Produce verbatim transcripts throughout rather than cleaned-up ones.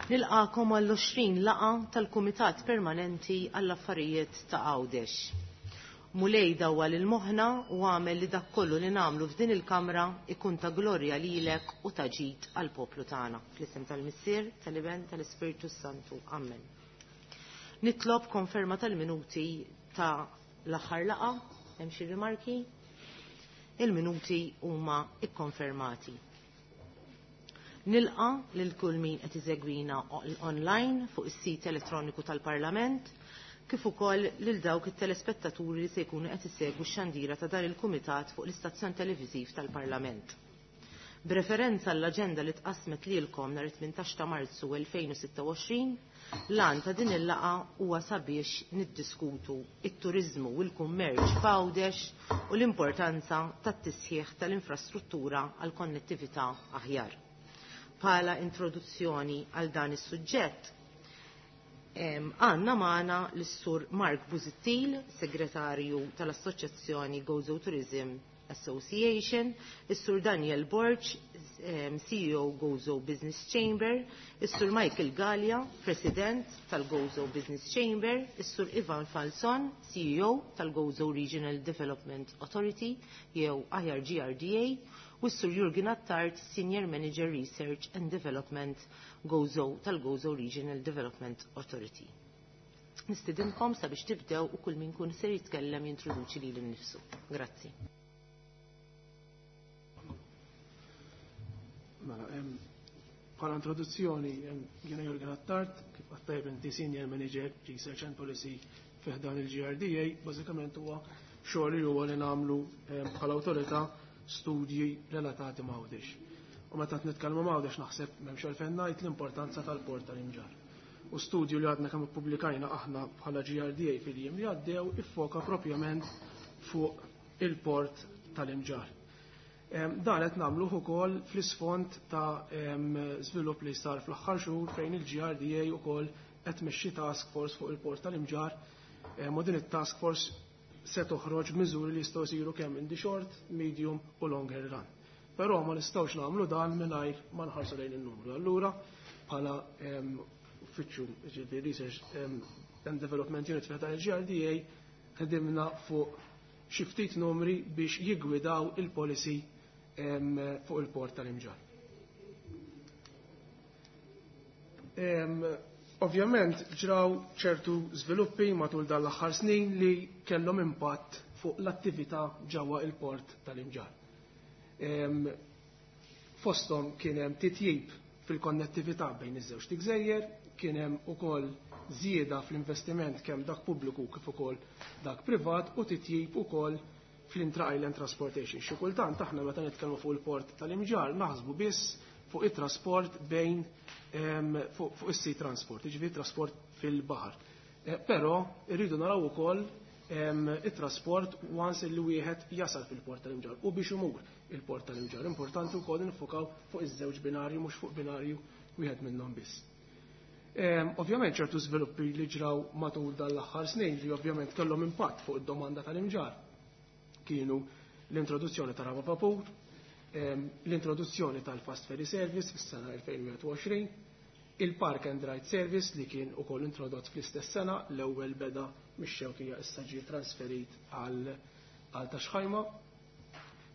Nilqakom għall-għoxrin laqgħa tal-Kumitat Permanenti għall-Affarijiet ta' Għawdex. Mulej dawwal il-moħħna u għamel li dak kollu li nagħmlu f'din il-Kamra ikun ta' glorja lilek u ta' ġid għall-poplu tagħna. Fl-isem tal-Missier, tal-Iben, tal-Ispirtu Santu. Amen. Nitlob konferma tal-minuti ta' l-aħħar laqgħa. Hemm xi rimarki? Il-minuti huma ikkonfermati. Nilqa lil kull min qed iżegwina online fuq is-sit elettroniku tal-Parlament, kif ukoll lil dawk it-telespettaturi li se jkunu qed isegwu x-xandira ta' dan il-Kumitat fuq l-istazzjon televiżiv tal-Parlament. B'referenza għall-aġenda li tqasmet lilkom nhar tmintax ta' Marzu elfejn u sitta u għoxrin, l-għan ta' din il-laqgħa huwa sabiex niddiskutu it-turiżmu u l-kummerċ f'Għawdex u l-importanza tat-tisħiħ tal-infrastruttura għal konnettività aħjar. Bħala introduzzjoni għal dan is-suġġett, għandna magħna lis-Sur Mark Busuttil, segretarju tal-Assoċjazzjoni Gozo Tourism Association, is-Sur Daniel Borg, C E O Gozo Business Chamber, is-Sur Michael Galea, President tal-Gozo Business Chamber, is-Sur Ivan Falzon, C E O tal-Gozo Regional Development Authority, jew aħjar G R D A, u s-Sur Jurgen Attard, Senior Manager Research and Development Gozo tal-Gozo Regional Development Authority. Nistidinkom sabiex tibdew u kull min kun ser jitkellem jintroduċi lilu nnifsu. Grazzi. Mela, bħala introduzzjoni, jiena Jurgen Attard, kif qed tajjeb inti Senior Manager Research and Policy fi ħdan il-G R D A, bażikament huwa xogħol li huwa li nagħmlu bħala awtorità studji relatati ma' Għawdex. U meta qed nitkellmu ma' Għawdex naħseb m'hemmx għalfejn ngħid l-importanza tal-port tal-Imġarr. U studju li għadna kemm ippubblikajna aħna bħala G R D A fil-jiem li għaddew iffoka propjament fuq il-port tal-Imġarr. Em, dan qed nagħmluh ukoll fl-isfond ta' em, żvilupp li sar fl-aħħar xhur fejn il-G R D A ukoll qed tmexxi task force fuq il-port tal-Imġarr. Em, u din it-task force se toħroġ miżuri li jistgħu jsiru kemm in the short, medium u longer run. Però ma nistgħux nagħmlu dan mingħajr ma nħarsu lejn in-numru. Allura bħala, em, uffiċċju, jiġifieri Research, em, and Development Unit fejn il-G R D A ħdimna fuq xi ftit numri biex jiggwidaw il-policy, em, fuq il-port tal-Imġarr. Em, ovvjament ġraw ċertu żviluppi matul dan l-aħħar snin li kellhom impatt fuq l-attività ġewwa il-port tal-Imġarr. Em, fosthom kien hemm titjib fil-konnettività bejn iż-żewġ gżejjer, kien hemm ukoll żieda fl-investiment kemm dak pubbliku kif ukoll dak privat u titjib ukoll fl-intra-island transportation. Xi kultant aħna meta nitkellmu fuq il-port tal-Imġarr naħsbu biss fuq it-trasport bejn, em, fuq, fuq is-sea transport, jiġifieri trasport fil-baħar. Eh, però rridu naraw ukoll, em, it-trasport once li wieħed jasal fil-port tal-Imġarr u biex imur il-port tal-Imġarr. Importanti wkoll nifukaw fuq iż-żewġ binarju mhux fuq binarju wieħed minnhom biss. Em, ovvjament ċertu żviluppi li ġraw matul dan l-aħħar snin li ovvjament kellhom impatt fuq id-domanda tal-Imġarr kienu l-introduzzjoni ta' raba vapur, em, l-introduzzjoni tal-Fast Ferry Service fis-sena elfejn wieħed u għoxrin, il-Park and Ride Service li kien ukoll introdott fl-istess sena, l-ewwel beda mix-Xewkija issa ġie trasferit għal, għal Taxħajma,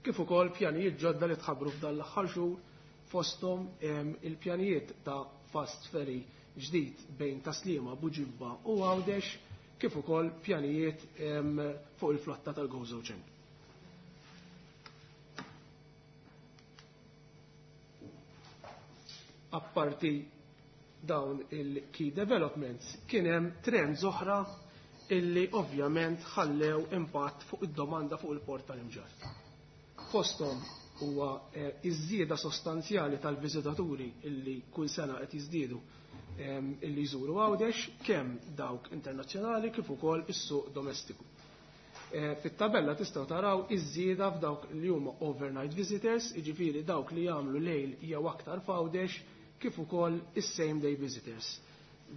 kif ukoll pjanijiet ġodda li tħabbru f'dan l-aħħar xhur fosthom, em, il-pjanijiet ta' Fast Ferry ġdid bejn Taslima, Buġibba u Għawdex, kif ukoll pjanijiet, em, fuq il-flotta tal-Gozo Channel. Apparti dawn il-key developments, kien hemm trends oħra illi ovvjament ħallew impatt fuq id-domanda fuq il-port tal-Imġarr. Fosthom huwa, eh, iż-żieda sostanzjali tal-viżitaturi illi kull sena qed jiżdiedu, ehm, illi jżuru Għawdex, kemm dawk internazzjonali kif ukoll is-suq domestiku. Eh, fit-tabella tistgħu taraw iż-żieda f'dawk li huma overnight visitors, jiġifieri dawk li jagħmlu lejl jew aktar f'Għawdex, kif ukoll is-same day visitors.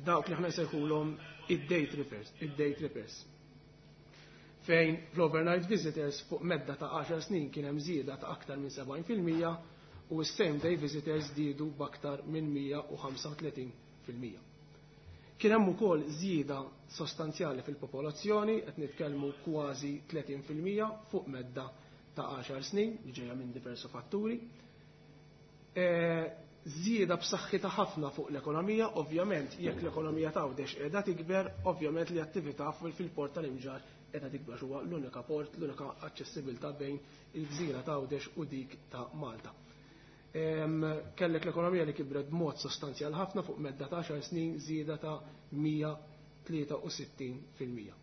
Dawk li aħna nsejħulhom id-day trippers, id-day trippers. Fejn fl-overnight visitors fuq medda ta' għaxar snin kien hemm żieda ta' aktar minn sebgħin fil-mija u s-same day visitors żdiedu b'aktar minn mija u ħamsa u tletin fil-mija. Kien hemm ukoll żieda sostanzjali fil-popolazzjoni, qed nitkellmu kważi tletin fil-mija fuq medda ta' għaxar snin, li ġejja minn diversi fatturi. Żieda b'saħħitha ħafna fuq l-ekonomija, ovvjament jekk l-ekonomija ta' Għawdex qiegħda tikber, ovvjament li attività fil-port tal-Imġarr qiegħda tikber, huwa l-unika port, l-unika aċċessibilità bejn il-gżira ta' Għawdex u dik ta' Malta. Kellek l-ekonomija li kibret b'mod sostanzjal ħafna fuq medda ta' għaxar snin, żieda ta' mija tlieta u sittin fil-mija.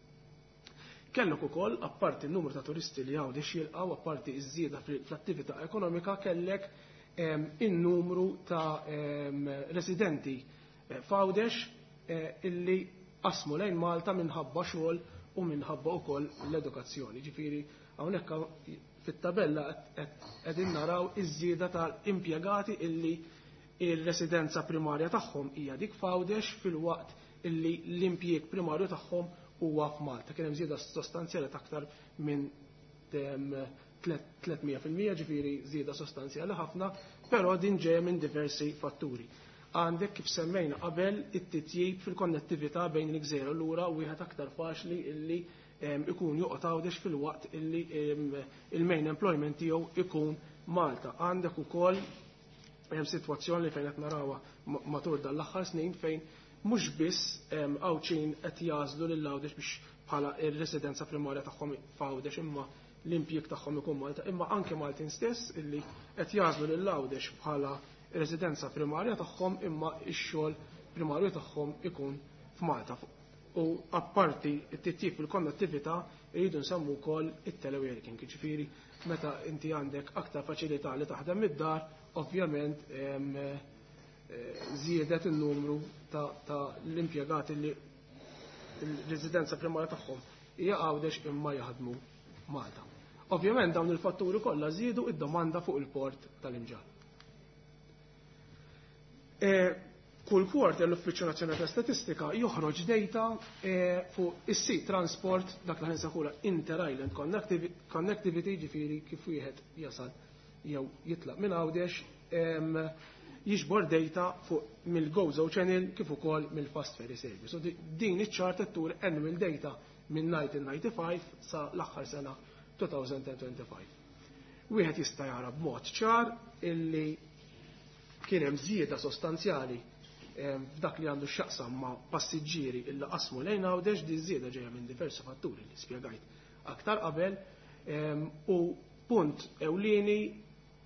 Kellek ukoll, apparti n-numru ta' turisti li Għawdex jilqgħu, apparti ż-żieda fl-attività ekonomika, kellek in-numru ta' residenti f'Għawdex illi qasmu lejn Malta minħabba xogħol u minħabba wkoll l-edukazzjoni. Ġifieri hawnhekk fit-tabella qegħdin naraw iż-żieda tal-impjegati illi ir-residenza primarja tagħhom hija dik f'Għawdex filwaqt illi l-impjieg primarju tagħhom huwa f'Malta. Kien hemm żieda sostanzjali ta' aktar minn tliet mija fil-mija, ġifieri żieda sostanzjali ħafna, però din ġejja minn diversi fatturi. Għandek kif semmejna qabel it-titjib fil-konnettività bejn il-gżejjer u lura wieħed aktar faċli illi ikun joqgħod Għawdex fil-waqt illi il-main employment tiegħu ikun Malta. Għandek ukoll hemm sitwazzjoni fejn qed narawha matul dan l-aħħar snin fejn mhux biss Għawdxin qed jażlu lil Għawdex biex bħala r-residenza primarja tagħhom f'Għawdex imma l-impjieg tagħhom ikun Malta, imma anke Maltin stess illi qed jażlu lil Għawdex bħala residenza primarja tagħhom imma x-xogħol primarju tagħhom ikun f'Malta. U apparti t-titjib fil-konnettività irridu nsemmu wkoll it-teleworking, jiġifieri meta inti għandek aktar faċilità li taħdem mid-dar, ovvjament żiedet in-numru ta', ta l-impjegati li l-residenza primarja tagħhom hija Għawdex imma jaħdmu Malta. Ovvjament dawn il-fatturi kollha żiedu id-domanda fuq il-port tal-Imġarr. Kull quarter l-Uffiċċju Nazzjonali ta' Statistika joħroġ data fuq is-sea transport, dak li nsejħulha inter-island connectivity, ġifieri kif wieħed jasal jew jitlaq minn Għawdex, jiġbor data fuq mill-Gozo Channel kif ukoll mill-Fast Ferry Service. So din iċ-chart qed tur annual data minn nineteen ninety-five sa l-aħħar sena two thousand twenty-five. Wieħed jista' jara b'mod ċar illi kien hemm żieda sostanzjali f'dak li għandu x'jaqsam ma' passiġġieri illi qasmu lejn Għawdex, di żieda ġejja minn diversi fatturi li spjegajt aktar qabel, u punt ewlieni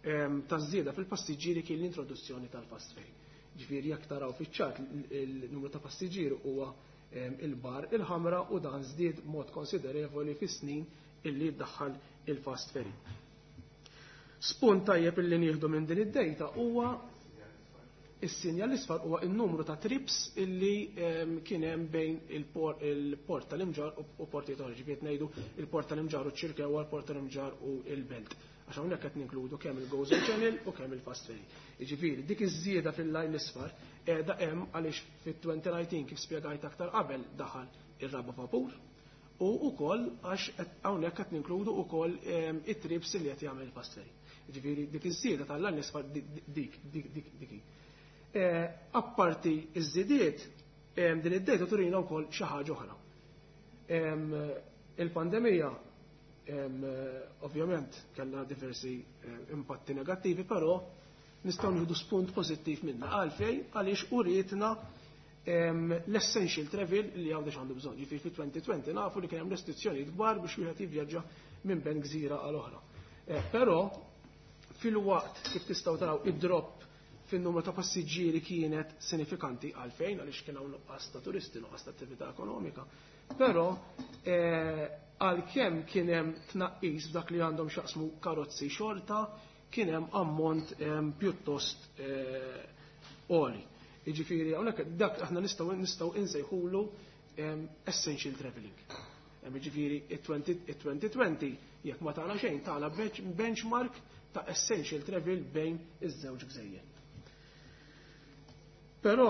ta' żieda fil-passiġġieri kien l-introduzzjoni tal-fast ferry. Ġifieri jekk taraw fiċ-ċart il-numru ta' passiġġieri huwa il-bar il-ħamra u dan żdied mod konsiderevoli fis-snin illi ddaħħal il-fast ferry. Spunt tajjeb illi nieħdu minn din id-dejta huwa is-sinjal l-isfar huwa n-numru ta' trips illi kien hemm bejn il-port tal-Imġarr u portijiet oħra, ġifieri ngħidu il-port tal-Imġarr u ċ-Ċirkewwa, il-port tal-Imġarr u l-Belt. Għax hawnhekk qed ninkludu kemm il-Gozo Channel u kemm il-Fast Ferry. Jiġifieri dik iż-żieda fil-lajn l-isfar qiegħda hemm għaliex fit-twenty nineteen kif spjegajt aktar qabel daħal ir-raba' vapur u wkoll għax hawnhekk qed ninkludu wkoll it-trips li qed jagħmel il-Fast Ferry. Jiġifieri dik iż-żieda tal-lajn l-isfar dik dik dik dik. Apparti iż-żidiet, din id-data turina wkoll xi ħaġa oħra. Il-pandemija ovvjament kellha diversi impatti negattivi, però nistgħu nieħdu spunt pożittiv minnha. Għalfejn? Għaliex urietna l-essential travel li Għawdex għandu bżonn. Ġifieri fi twenty twenty nafu li kien hemm restrizzjonijiet kbar biex wieħed jivvjaġġa minn bejn gżira għal oħra. Però fil-waqt kif tistgħu taraw id-drop fin-numru ta' passiġġieri kienet sinifikanti għalfejn, għaliex kien hawn nuqqas ta' turisti, nuqqas ta' attività ekonomika. Però għalkemm kien hemm tnaqqis f'dak li għandhom x'jaqsmu karozzi xorta, kien hemm ammont pjuttost għoli. Jiġifieri hawnhekk dak aħna nistgħu nistgħu insejħulu essential travelling. Jiġifieri it-twenty twenty jekk ma tagħna xejn tagħna benchmark ta' essential travel bejn iż-żewġ gżejjer. Però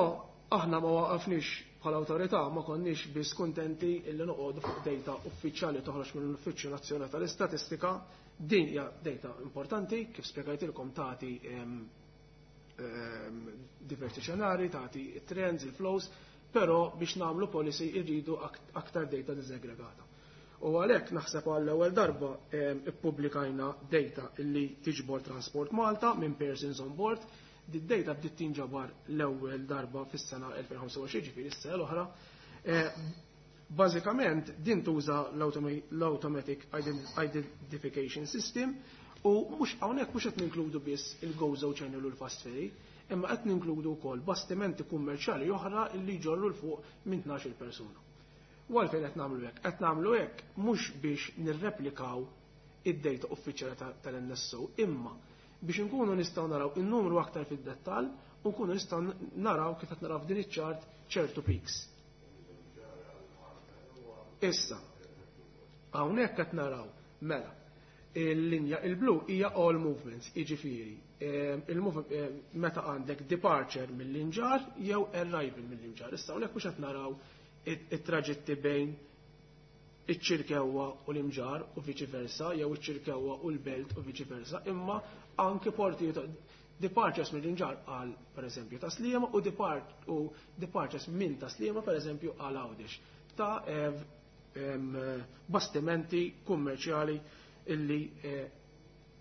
aħna ma waqafniex bħala awtorità, ma konniex biss kuntenti illi noqogħdu fuq data uffiċjali toħroġ mill-Uffiċċju Nazzjonali tal-Istatistika. Din hija data importanti, kif spjegajtilkom tagħti ehm, diversi xenari, tagħti trends, il-flows, però biex nagħmlu policy irridu aktar data diżaggregata. U għalhekk naħseb għall-ewwel darba ehm, ippubblikajna data illi tiġbor Transport Malta minn Persons on Board. Di data bdiet tinġabar l-ewwel darba fis-sena elfejn u ħamsa u għoxrin, ġifieri s-sena l-oħra. Eh, bażikament din tuża l-Automatic Identification System u mhux hawnhekk mhux qed ninkludu biss il-Gozo Channel u l-Fast Ferry, imma qed ninkludu wkoll bastimenti kummerċjali oħra li jġorru l fuq minn tnax-il persuna. U għalfejn qed nagħmlu hekk? Qed nagħmlu hekk mhux biex nirreplikaw id-data uffiċjali tal-N S O, imma biex inkunu nistgħu naraw in-numru aktar fid-dettall u nkunu nistgħu naraw kif qed naraw f'din iċ-ċart ċertu peaks. Issa, hawnhekk qed naraw mela il-linja il-blu hija all movements, jiġifieri, ehm, il-mov-, ehm, meta għandek departure mill-Imġarr jew arrival mill-Imġarr. Issa hawnhekk mhux qed naraw it-traġitti bejn iċ-Ċirkewwa u l-Imġarr u viċi versa, jew iċ-Ċirkewwa u l-Belt u viċi versa, imma anke portijiet departures mill-Imġarr għal pereżempju ta' Sliema u depart-, u departures minn ta' Sliema pereżempju għal Għawdex ta' em, bastimenti kummerċjali illi, eh,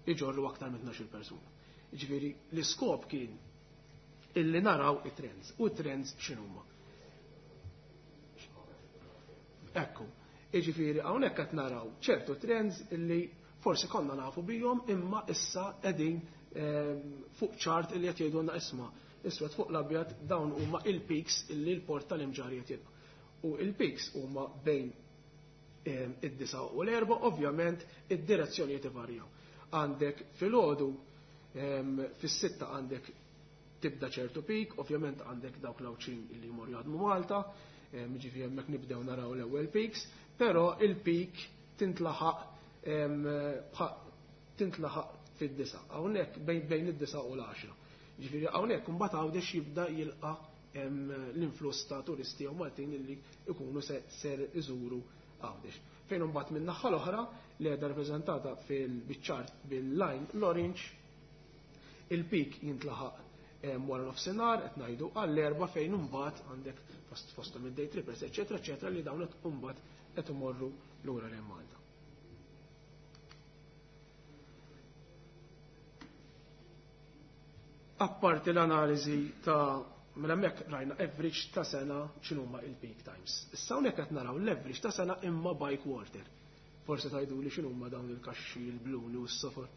iġorru aktar minn tnax-il persuna. Jiġifieri l-iskop kien illi naraw it-trends. U t-trends x'inhuma? Ekku, jiġifieri hawnhekk qed naraw ċertu trends illi forsi konna nafu bihom imma issa qegħdin, ehm, fuq ċart illi qed jgħidulna isma' iswed fuq l-abjad dawn huma il-peaks illi l-port tal-Imġarr qed jilqa'. U il-peaks huma bejn, ehm, id-disa u l-erba, ovvjament id-direzzjonijiet ivarjaw. Għandek filgħodu, ehm, fis-sitta għandek tibda ċertu peak, ovvjament għandek dawk l-Għawdxin illi jmorru jaħdmu Malta, ehm, jiġifieri hemmhekk nibdew naraw l-ewwel peaks, però il-peak tintlaħaq, ehm, bħa-, tintlaħaq fid-disa, hawnhekk bejn, bejn id-disa u l-għaxra. Jiġifieri hawnhekk imbagħad Għawdex jibda jilqa', ehm, l-influss ta' turisti jew Maltin illi jkunu se-, ser iżuru Għawdex. Fejn imbagħad minn naħa l-oħra li qiegħda rappreżentata fil-biċċart bil-line l-orange, il-peak jintlaħaq, ehm, wara nofsinhar qed ngħidu għall-erba' fejn imbagħad għandek fost-, fosthom id-day trippers, eċetera, eċetera, li dawn qed imbagħad qed imorru lura lejn Malta. Apparti l-analiżi ta' mela hemmhekk rajna average ta' sena x'inhuma il-peak times. Issa hawnhekk qed naraw l-average ta' sena imma by quarter. Forsi tgħidu li x'inhuma dawn il-kaxxi, il-bluni u s-sofor.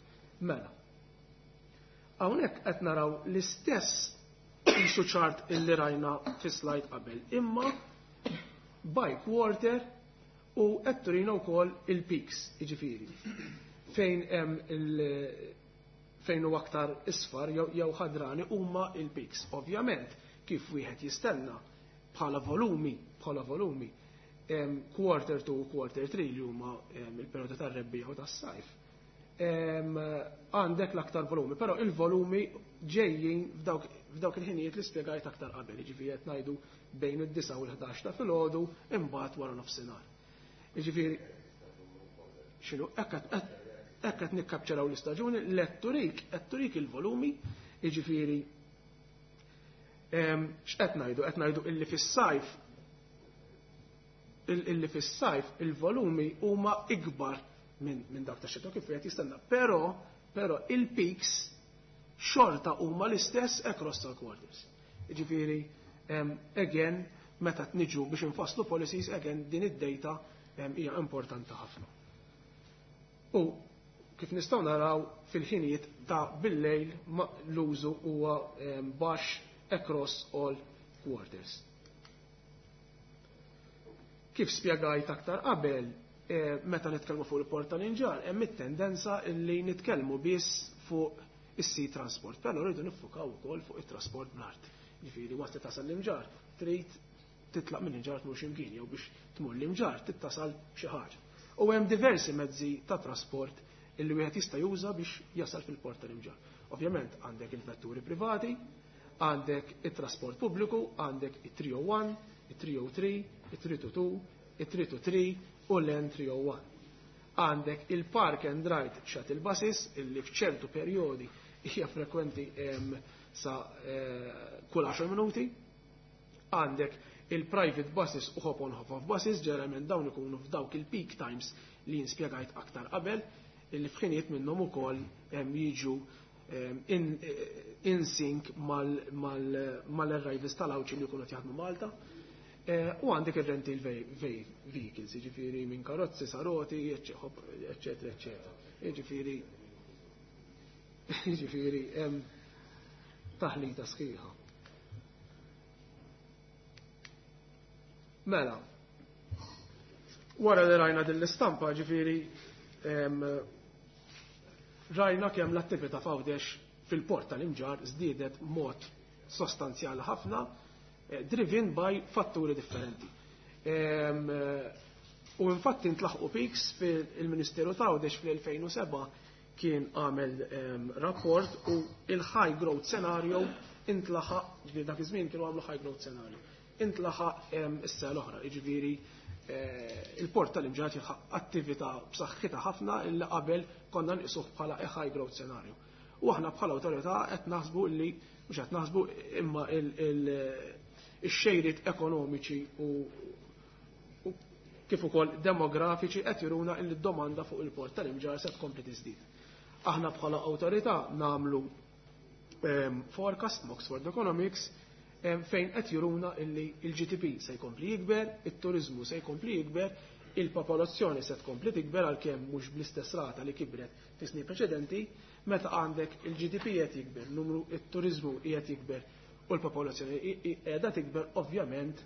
Mela. Hawnhekk qed naraw l-istess qisu ċart illi rajna fi slide qabel, imma by quarter u qed turina wkoll il-peaks, jiġifieri. Fejn hemm il- fejn hu aktar isfar jew, jew ħadrani huma il-peaks. Ovvjament, kif wieħed jistenna bħala volumi, bħala volumi, em, quarter two u quarter three li huma, em, il-perjodu tar-rebbieħ u tas-sajf. Em, għandek l-aktar volumi, però il-volumi ġejjin f'dawk, f'dawk il-ħinijiet li spjegajt aktar qabel, jiġifieri qed ngħidu bejn id-disa u l-ħdax ta' filgħodu imbagħad wara nofsinhar. Jiġifieri x'inhu hekk qed, hekk qed nikkapċeraw l-istaġuni, l-etturik, etturik il-volumi, jiġifieri, em, x'qed ngħidu? Qed ngħidu illi fis-sajf il-, illi fis-sajf il-volumi huma ikbar minn, minn dak tax-xita kif qed jistenna, però, però il-peaks xorta huma l-istess across all quarters. Jiġifieri, em, again, meta niġu biex infasslu policies, again din id-data, em, hija importanti ħafna. U kif nistgħu naraw fil-ħinijiet ta' bil-lejl l-użu huwa, em, baxx across all quarters. Kif spjegajt aktar qabel, eh, meta nitkellmu fuq il-port tal-Imġarr, hemm it-tendenza li nitkellmu biss fuq is-sea transport, però rridu niffukaw ukoll fuq it-trasport bl-art. Jiġifieri waqt li tasal l-Imġarr, trid titlaq minn Imġarr tmur x'imkien jew biex tmur l-Imġarr tittasal xi ħaġa. U hemm diversi mezzi ta' trasport illi wieħed jista' juża biex jasal fil-port tal-Imġarr. Ovvjament għandek il-vetturi privati, għandek it-trasport pubbliku, għandek it-three oh one, it-three oh three, it-three two two, it-three two three u l-N three oh one. Għandek il-park and ride shuttle buses illi f'ċertu perjodi hija frekwenti, em, sa kull għaxar minuti. Għandek il-private buses u hop on hop off buses, ġeneralment dawn ikunu f'dawk il-peak times li jinspjegajt aktar qabel, li f'ħinijiet minnhom ukoll jiġu in, in sync mal-arrivals tal-Għawdxin li jkunu jaħdmu Malta. U għandek il-rental vehicles, jiġifieri minn karozzi, saroti, eccetera, eccetera. Jiġifieri, jiġifieri hemm taħlita sħiħa. Mela, wara li rajna din l-istampa, ġifieri, rajna kemm l-attività f'Għawdex fil-port tal-Imġarr żdiedet mod sostanzjali ħafna, driven by fatturi differenti. U infatti ntlaħqu peaks fil-Ministeru ta' Għawdex fl-elfejn u seba' kien għamel rapport u il-high growth scenario intlaħaq, ġifieri dak iż-żmien kienu għamlu high growth scenario, intlaħaq is-sena l-oħra, jiġifieri il-port tal-Imġarr jilħaq attività b'saħħitha ħafna illi qabel konna nqisuh bħala a high growth scenario. U aħna bħala awtorità qed naħsbu li mhux qed naħsbu imma ix-xejriet ekonomiċi u kif ukoll demografiċi qed juruna li d-domanda fuq il-port tal-Imġarr se tkompli tiżdied. Aħna bħala awtorità nagħmlu forecast Oxford Economics fejn qed juruna illi il-G D P se jkompli jikber, it-turizmu se jkompli jikber, il-popolazzjoni se tkompli tikber għalkemm mhux bl-istess rata li kibret fi snin preċedenti, meta għandek il-G D P qed jikber, numru it-turizmu qiegħed jikber u l-popolazzjoni qiegħda tikber, ovvjament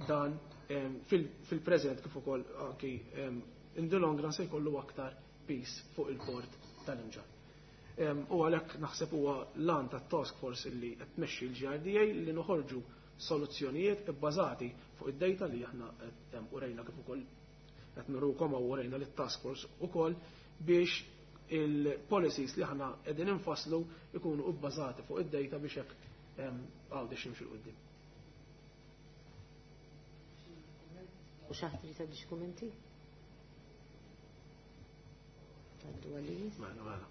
dan fil-preżent kif ukoll anki in the long run se jkollu aktar peace fuq il-port tal-Imġarr. U għalhekk naħseb huwa l-għan tat-task force illi qed tmexxi l-G R D A li noħorġu soluzzjonijiet ibbażati fuq id-data li aħna qed urejna kif ukoll qed nurukom u urejna lit-task force ukoll biex il-policies li aħna qegħdin infasslu ikunu bbażati fuq id-data biex hekk Għawdex jimxi 'l quddiem. U xi ħadd irid jgħaddi xi kummenti? Għaddu għalli. Mela, mela.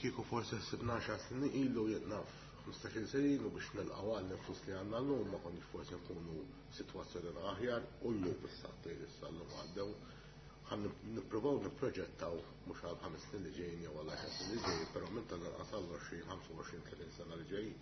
Kieku forse sibna xar snin ilu jitnaf ħmistax-il sena ilu biex nilqgħu għal flus li għandna llum ma konniex forsi nkunu sitwazzjoni aħjar u llum issa issa llum għaddew ħan nippruvaw nipproġettaw mhux għal ħames snin li ġejjin jew għal għaxar snin li ġejjin, però minn tal-inqas għal għoxrin, ħamsa u għoxrin, tletin sena li ġejjin.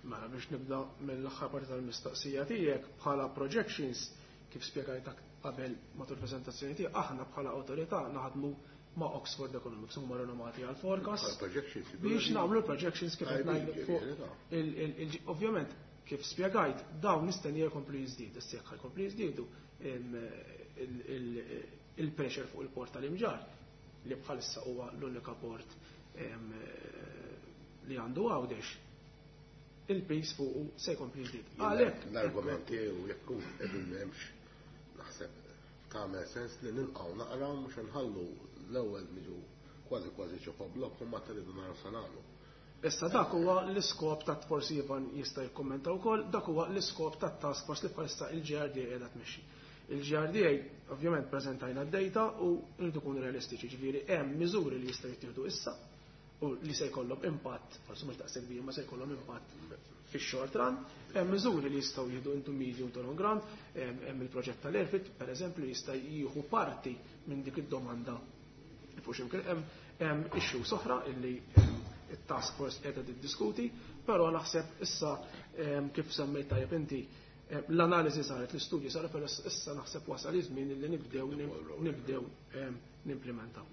Mela biex nibda mill-aħħar parti tal-mistoqsija tiegħek bħala projections kif spjegajt qabel matul il-preżentazzjoni tiegħek, aħna bħala awtorità naħdmu ma' Oxford Economics, huma renomati għal forecast Bħala projections, biex nagħmlu projections kif qed Għajbi, ngħidu fuq ġifieri, ta' il-, il-, il-, ovvjament kif spjegajt dawn nistennija jkomplu jiżdiedu, issa jekk jkomplu jiżdiedu, em, il-, il-, il-pressure fuq il-port tal-Imġarr li bħalissa huwa l-unika port, em, li għandu Għawdex, il-pis fuq se jkompli jiżdied. Jien Għalhekk l-argument tiegħu jekk hu qegħdin m'hemmx naħseb tagħmel sens li nilqgħu naqra mhux inħallu l-ewwel niġu kważi kważi ġo blokk u ma tridu naraw se nagħmlu. Issa dak huwa l-iskop ta' forsi Ivan jista' jikkummenta wkoll, dak huwa l-iskop ta' task force li bħalissa il-G R D A qiegħda tmexxi. Il-G R D A ovvjament preżentajna d-data u rridu nkunu realistiċi, ġifieri hemm miżuri li jistgħu jittieħdu issa u li se jkollhom impatt, forsi mhux daqshekk kbir, ma se jkollhom impatt fix-short run, hemm miżuri li jistgħu jieħdu into medium to long run, hemm, hemm il-proġett tal-Airfit, pereżempju, li jista' jieħu parti minn dik id-domanda fuq x'imkien hemm, hemm issues oħra illi it-task force qiegħda tiddiskuti, però naħseb issa, em, kif semmejt tajjeb inti, em, l-analiżi saret, l-istudju saret, però issa naħseb wasal iż-żmien illi nibdew nibdew, em, nimplementaw.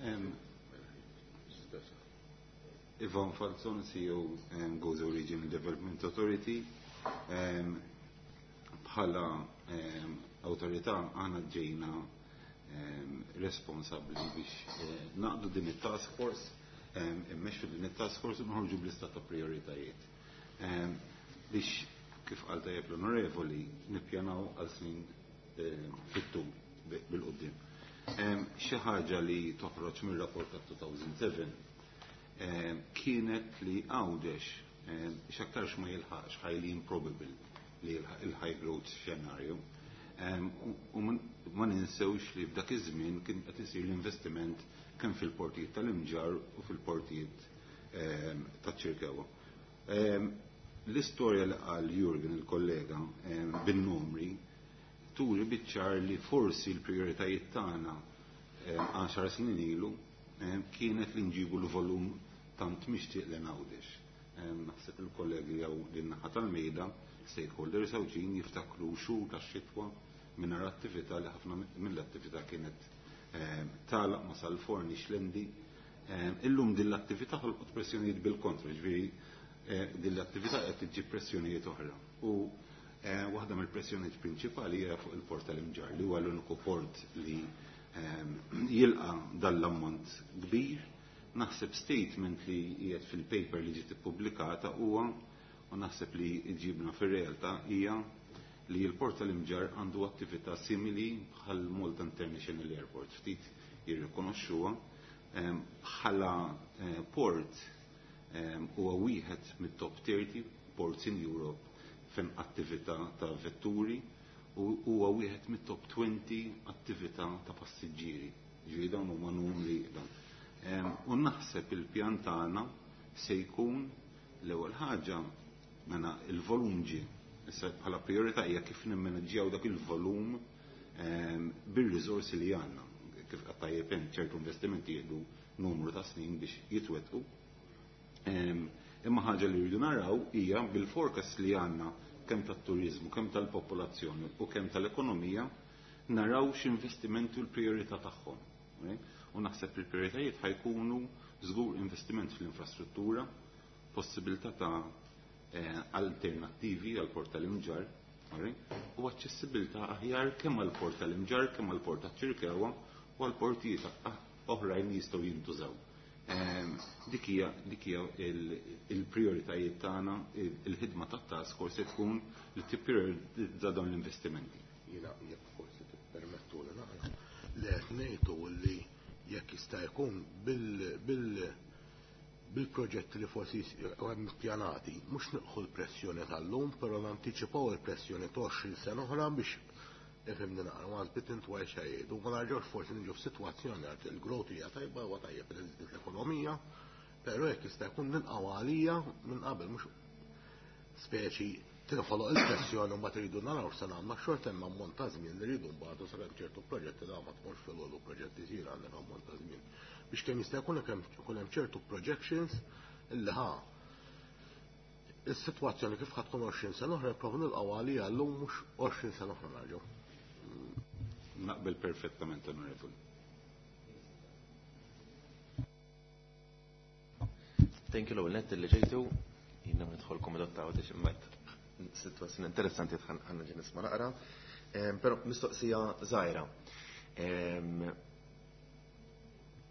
Em, Ivan Falzon, C E O, em, Gozo Regional Development Authority. Em, bħala, em, awtorità aħna ġejna, em, responsabbli biex, eh, naqdu din it-task force Immexxu din it-task force u noħorġu b'lista ta' prioritajiet. Biex kif qal tajjeb l-onorevoli nippjanaw għal snin fit-tul bil-qudiem. Xi ħaġa li toħroġ mir-rapport ta' two thousand seven kienet li Għawdex x'aktarx ma jilħaqx, highly improbable li jilħaq il-high growth scenario. U ma ninsewx li f'dak iż-żmien kien qed isir l-investiment kemm fil-portijiet tal-Imġarr u fil-portijiet taċ-Ċirkewwa. L-istorja li qal Jurgen, il-kollega, bin-numri turi biċ-ċar li forsi l-prioritajiet tagħna għaxar snin ilu kienet li nġibu l-volum tant mixtieq lil Għawdex. Naħseb il-kollegi jew din-naħa tal-mejda, stakeholders Għawdxin, jiftakru xhur tax-xitwa mingħajr attività, li ħafna mill-attività kienet tagħlaq ma sal-forni Xlendi. Illum din l-attività ħolqot pressjonijiet bil-kontra, ġifieri din l-attività qed tiġi pressjonijiet oħra. U waħda mill-pressjonijiet prinċipali hija fuq il-port tal-Imġarr, li huwa l-uniku port li jilqa dal-ammont kbir. Naħseb statement li qiegħed fil-paper li ġiet ippubblikata huwa, u naħseb li ġibna fir-realtà, hija li l-port tal-Imġarr għandu attività simili bħal Malta International Airport. Ftit jirrikonoxxuha bħala port, huwa wieħed mit-top thirty ports in Europe fejn attività ta' vetturi u huwa wieħed mit-top twenty attività ta' passiġġieri. Ġifieri dawn huma numri dawn. U naħseb il-pjan tagħna se jkun l-ewwel ħaġa mela il-volum ġie. Issa bħala priorità hija kif nimmaneġġjaw dak il-volum bir-riżorsi li għandna. Kif qed tajjeb ċertu investimenti jieħdu numru ta' snin biex jitwettqu. Imma ħaġa li rridu naraw hija bil-forecast li għandna kemm tat-turizmu, kemm tal-popolazzjoni u kemm tal-ekonomija, naraw x'investimenti u l-priorità tagħhom. U naħseb il-prioritajiet ħa jkunu żgur investiment fl-infrastruttura, possibilità ta' alternattivi għal port tal-Imġarr u aċċessibilità aħjar kemm għal port tal-Imġarr, kemm għal port taċ-Ċirkewwa u għal portijiet oħrajn li jistgħu jintużaw. Dik hija dik hija il-prioritajiet tagħna, il-ħidma tat-task force se tkun li tipprioritizza dawn l-investimenti. Jiena, jekk forsi tippermettu li naqra, li qed ngħidu li jekk jista' jkun bil bil bil-proġetti li forsi hemm pjanati, mhux nilħqu l-pressjoni tal-lum, però nantiċipaw il-pressjoni ta' għoxrin sena oħra biex ifhimni naqra, ma żbit intwaj xejn. U ma narġgħux forsi niġu f'sitwazzjoni għad il-growth hija tajba, huwa tajjeb li l-ekonomija, però jekk jista' jkun nilqgħu għalija minn qabel, mhux speċi tinħoloq il-pressjoni u mbagħad iridu naraw se nagħmlu. Xorta hemm ammont ta' żmien li rridu mbagħad sakemm ċertu proġetti da ma tmurx fil proġetti jsir, għandek ammont ta' żmien biex kemm jista' jkun ikun hemm ċertu projections illi ħa is-sitwazzjoni kif ħa tkun għoxrin sena oħra nipprovu nilqgħu għalija llum, mhux għoxrin sena oħra narġgħu. Naqbel perfettament, onorevoli. Thank you l-ewwel nett li ġejtu. Jiena nidħol komitat ta' Għawdex, imma situazzjoni interessanti ħanna ġi nisma' naqra. Però mistoqsija żgħira.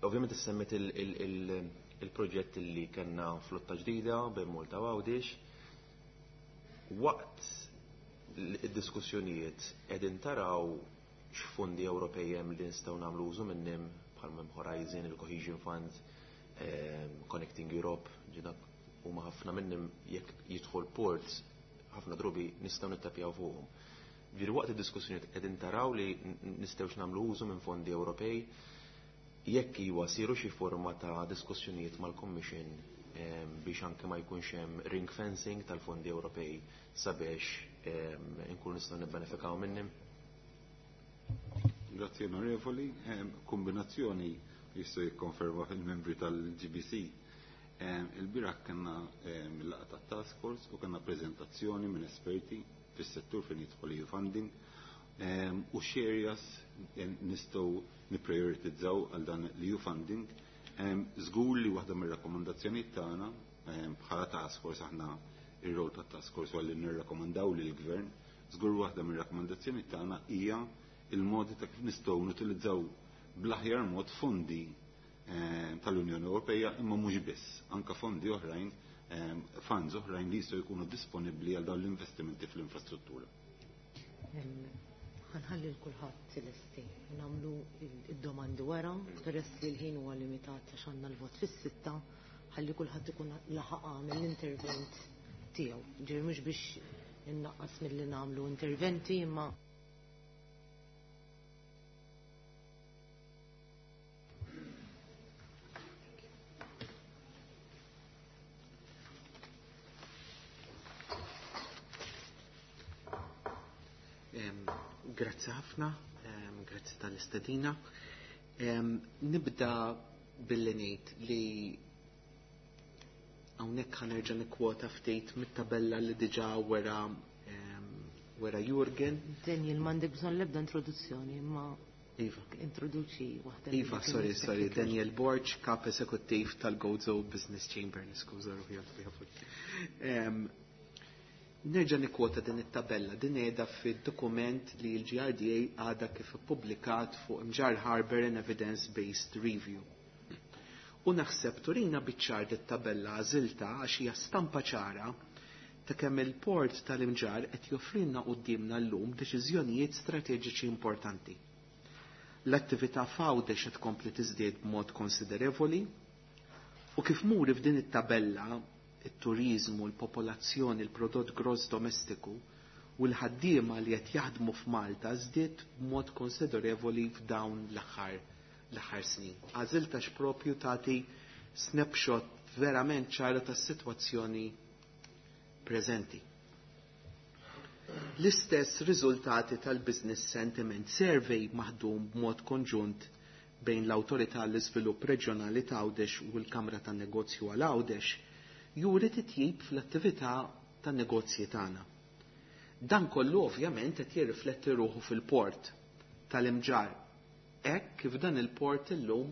Ovvjament issemmet il-proġett li kellna flotta ġdida bejn Malta u Għawdex. Waqt id-diskussjonijiet qegħdin taraw x'fondi Ewropej hemm li nistgħu nagħmlu użu minnhom, bħal hemm Horizon, il-Cohesion Fund, Connecting Europe, ġidak huma ħafna minnhom, jekk jidħol ports ħafna drubi nistgħu nittapjaw fuqhom. Ġifieri waqt id-diskussjonijiet qegħdin taraw li nistgħux nagħmlu użu minn fondi Ewropej? Jekk iwa, siru xi forma ta' diskussjonijiet mal-Commission biex anke ma jkunx hemm ring fencing tal-fondi Ewropej sabiex inkunu nistgħu nibbenefikaw minnhom? Grazie, onorevoli. Kombinazzjoni jistgħu jikkonferma il-membri tal-G B C. Il-bieraħ kellna il-laqgħa tat-task force u kellna prezentazzjoni minn esperti fis-settur fejn jidħol E U funding u x'areas nistgħu nipprioritizzaw għal dan l-E U funding. Żgur li waħda mir-rakkomandazzjonijiet tagħna bħala task force, aħna ir-rol tat-task force għalli nirrakkomandaw lill-gvern, żgur waħda mir-rakkomandazzjonijiet tagħna hija il-modi ta' kif nistgħu nutilizzaw bl-aħjar mod fondi tal-Unjoni Ewropea, imma mhux biss, anke fondi oħrajn, funds oħrajn li jistgħu jkunu disponibbli għal dawn l-investimenti fl-infrastruttura. Ħanħalli l-kulħadd lesti nagħmlu id-domandi wara, peress li l-ħin huwa limitat għax għandna l-vot fis-sitta, ħalli kulħadd ikun laħaq għamel l-intervent tiegħu. Ġifieri mhux biex innaqqas milli nagħmlu interventi imma Grazzi ħafna, grazzi tal-istedina. Nibda billi ngħid li hawnhekk ħanerġa' nikkwota ftit mit-tabella li diġà wera wera Jurgen. Daniel, m'għandek bżonn l-ebda introduzzjoni, imma Iva. Introduċi waħda. Iva, sorry, sorry, Daniel Borg, kap eżekuttiv tal-Gozo Business Chamber, niskuża ruħi. Nerġa' nikkwota din it-tabella, din qiegħda fid-dokument li l-G R D A għadha kif ippubblikat fuq Mġarr Harbour and Evidence-Based Review. U naħseb turina biċ-ċar dit-tabella għażilta għax hija stampa ċara ta' kemm il-port tal-Imġarr qed joffrilna quddiemna llum deċiżjonijiet strateġiċi importanti. L-attività f'Għawdex qed tkompli tiżdied b'mod konsiderevoli u kif muri f'din it-tabella it-turizmu, l-popolazzjoni, il-prodott gross domestiku u l-ħaddiema li qed jaħdmu f'Malta żdied b'mod konsiderevoli f'dawn l-aħħar l-aħħar snin. Għażilta x'propju tagħti snapshot verament ċara tas-sitwazzjoni preżenti. L-istess riżultati tal-Business Sentiment Survey maħdum b'mod konġunt bejn l-Awtorità għall-Iżvilupp Reġjonali ta' Għawdex u l-Kamra tan-Negozju għal Għawdex juri titjib fl-attività tan-negozji tagħna. Dan kollu ovvjament qed jirrifletti ruħu fil-port tal-Imġarr. Hekk kif dan il-port illum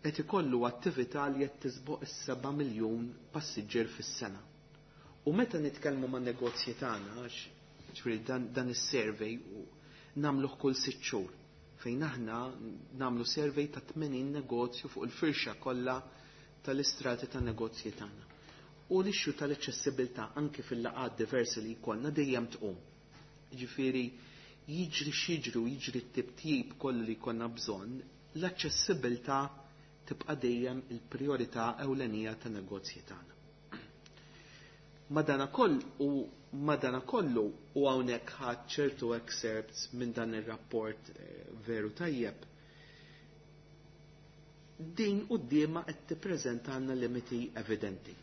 qed ikollu attività li qed tisboq is-seba' miljun passiġġier fis-sena. U meta nitkellmu man negozji tagħna, għax ġifieri dan, dan is-survey nagħmluh kull sitt xhur, fejn aħna nagħmlu survey ta' tmenin negozju fuq il-firxa kollha tal-istrati ta' negozji tagħna. U l-issue tal-aċċessibilità anke fil-laqgħat diversi li jkollna dejjem tqum. Ġifieri jiġri x'jiġri u jiġri t-tibtib kollu li jkollna bżonn, l-aċċessibilità tibqa' dejjem il-priorità ewlenija ta' negozji tagħna. Madanakoll u madanakollu u hawnhekk ħadd ċertu excerpts minn dan ir-rapport veru tajjeb. Din quddiemha qed tippreżentalna limiti evidenti.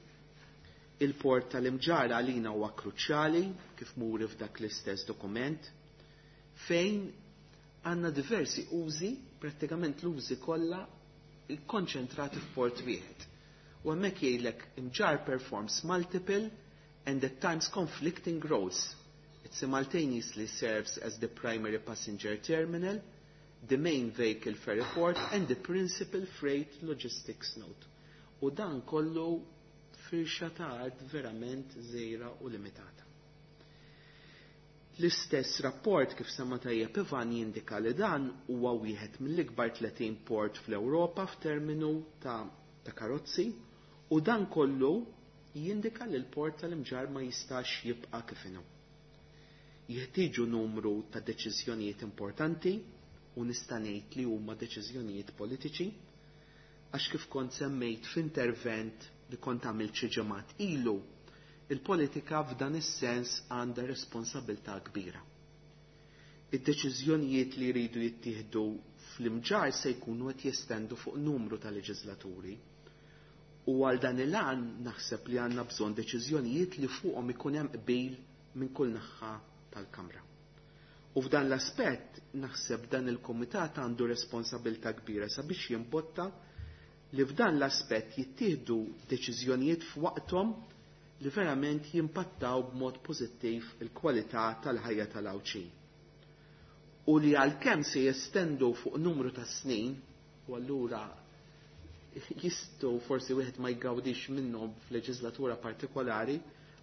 Il-port tal-Imġarr għalina huwa kruċjali kif muri f'dak l-istess dokument fejn għandna diversi użi, prattikament l-użi kollha konċentrati f'port wieħed. U hemmhekk jgħidlek Imġarr performs multiple and at times conflicting roles. It simultaneously serves as the primary passenger terminal, the main vehicle ferry port and the principal freight logistics node. U dan kollu firxa ta' art verament żgħira u limitata. L-istess rapport kif sema tajjeb Ivan jindika li dan huwa wieħed mill-ikbar tletin port fl-Ewropa f'terminu ta', ta' karozzi u dan kollu jindika li l-port tal-Imġarr ma jistax jibqa' kif inhu. Jeħtieġu numru ta' deċiżjonijiet importanti u nista' ngħid li huma deċiżjonijiet politiċi għax kif kont semmejt f'intervent li kont għamilt xi ġimgħat ilu, il-politika f'dan is-sens għandha responsabilità kbira. Id-deċiżjonijiet li jridu jittieħdu fl-Imġarr se jkunu qed jestendu fuq numru ta' leġislaturi. U għal dan il-għan naħseb li għandna bżonn deċiżjonijiet li fuqhom ikun hemm qbil minn kull naħa tal-Kamra. U f'dan l-aspett naħseb dan il-Kumitat għandu responsabilità kbira sabiex jimbotta li f'dan l-aspett jittieħdu deċiżjonijiet f'waqthom li verament jimpattaw b'mod pożittiv il-kwalità tal-ħajja tal-Għawdxin. U li għalkemm se jestendu fuq numru ta' snin, u allura jistgħu forsi wieħed ma jgawdix minnhom f'leġislatura partikolari,